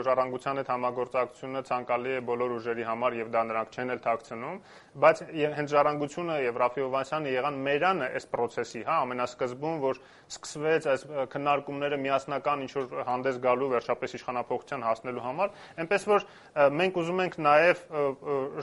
ժառանգության հետ համագործակցությունը ցանկալի է բոլոր ուժերի համար եւ դա նրանք չեն էլ թաքցնում, բայց հենց ժառանգությունը եւ Ռաֆի Հովհաննիսյանը եղան մերանը այս process-ի, հա, ամենասկզբում, որ սկսվեց այս քննարկումները միասնական ինչ որ հանդես գալու վերջապես իշխանափոխության հասնելու համար, այնպես որ մենք ուզում ենք նաեւ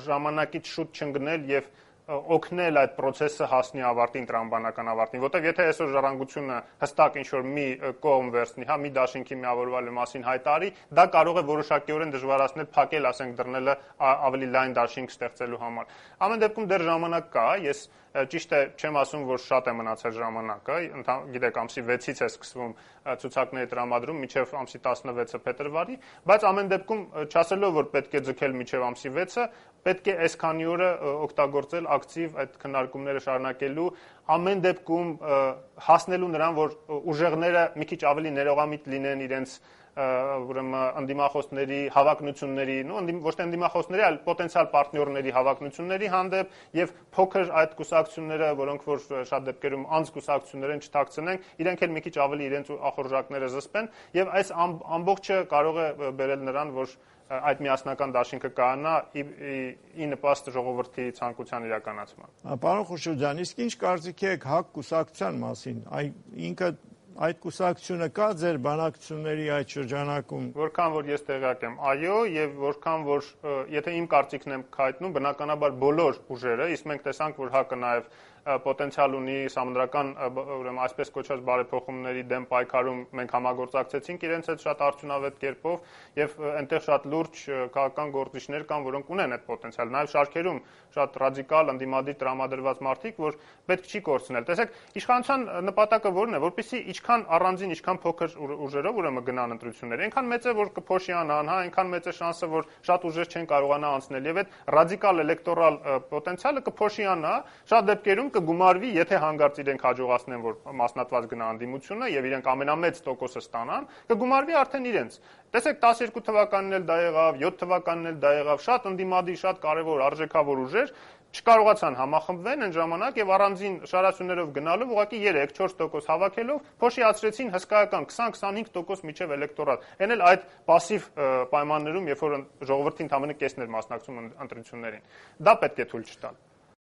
ժամանակից շուտ չընկնել եւ օգնել այդ process-ը հասնի ավարտին, տրամաբանական ավարտին, որտեղ եթե այսօր ժառանգությունը հստակ ինչ-որ մի կողմ վերցնի, հա, մի դաշինքի միավորվելու մասին հայտարարի, դա կարող է որոշակիորեն դժվարացնել փակել, ասենք, դռնելը ավելի լայն դաշինք ստեղծելու համար։ Ամեն դեպքում դեռ ժամանակ կա, ես ճիշտ է, չեմ ասում, որ շատ է մնացել ժամանակը, գիտեք, ամսի 6-ից է սկսվում ցուցակների տրամադրում մինչև ամսի 16-ը փետրվարի, բայց ամեն դեպքում չասելով, որ պետք է ձգել մինչև ամսի 6-ը, պետք է այսքանի օրը օգտագործել ակտիվ այդ քննարկումները շարունակելու, ամեն դեպքում հասնելու նրան, որ ուժեղները մի քիչ ավելի ներողամիտ լինեն իրենց ուրեմն ընդդիմախոսների հավակնությունների, ոչ թե ընդդիմախոսների, այլ պոտենցիալ պարտներների հավակնությունների հանդեպ եւ փոքր այդ կուսակցությունները, որոնք որ շատ դեպքերում անձկուսակցություններ են, չթաքցնենք, իրենք էլ մի քիչ ավելի իրենց ախորժակները զսպեն եւ այս ամբողջը կարող է բերել նրան, որ այդ միասնական դաշինքը կայանա ի նպաստ ժողովրդի ցանկության իրականացման։ Պարոն Խուշուրջյան, իսկ ինչ կարծիք եք ՀԱԿ կուսակցության մասին։ Ինքը այդ կուսակցությունը կա ձեր բանակցությունների այդ շրջանակում։ Որքան որ ես տեղյակ եմ, այո, եւ որքան որ եթե իմ կարծիքն եմ հայտնում, բնականաբար բոլոր ուժերը, իսկ մենք տեսանք, որ ՀԱԿ-ը նաեւ պոտենցիալ ունի սահմանադրական ուրեմն այսպես կոչված բարեփոխումների դեմ պայքարում մենք համագործակցեցինք իրենց հետ շատ արդյունավետ կերպով եւ այնտեղ շատ լուրջ քաղաքական գործիչներ կան, որոնք ունեն այդ պոտենցիալ, նաեւ շարքերում շատ ռադիկալ ընդդիմադիր տրամադրված մարդիկ, որ պետք չի կորցնել։ Տեսեք, իշխանության նպատակը որն է, որպեսզի ինչքան առանձին, ինչքան փոքր ուժերով ուրեմն գնան ընտրություններ, այնքան մեծ է, որ կփոշիանան, հա, այնքան մեծ է շանսը, որ շատ ուժեր չեն կարողանա անցնել եւ այդ ռադիկալ էլեկտորալ պոտենցիալը կփոշիանա, շատ դեպքերում կգումարվի, եթե հանգարց իրենք հաջողացնեն, որ մասնատված գնա անդիմությունը եւ իրենք ամենամեծ տոկոսը ստանան, կգումարվի արդեն իրենց։ Տեսեք 12 թվականին էլ դա եղավ, 7 թվականին էլ դա եղավ, շատ ընդդիմադիր, շատ կարևոր արժեքավոր ուժեր չկարողացան համախմբվել այն ժամանակ եւ առանձին շարասյուններով գնալով ուղղակի 3-4% հավաքելով փոշիացրեցին հսկայական 20-25% միջև էլեկտորատ։ Այն էլ այդ пассив պայմաններում, երբ որ ժողովրդի ընդամենը կեսն էր մասնակցում ընտրություններին։ Դա պետք է թույլ չտալ։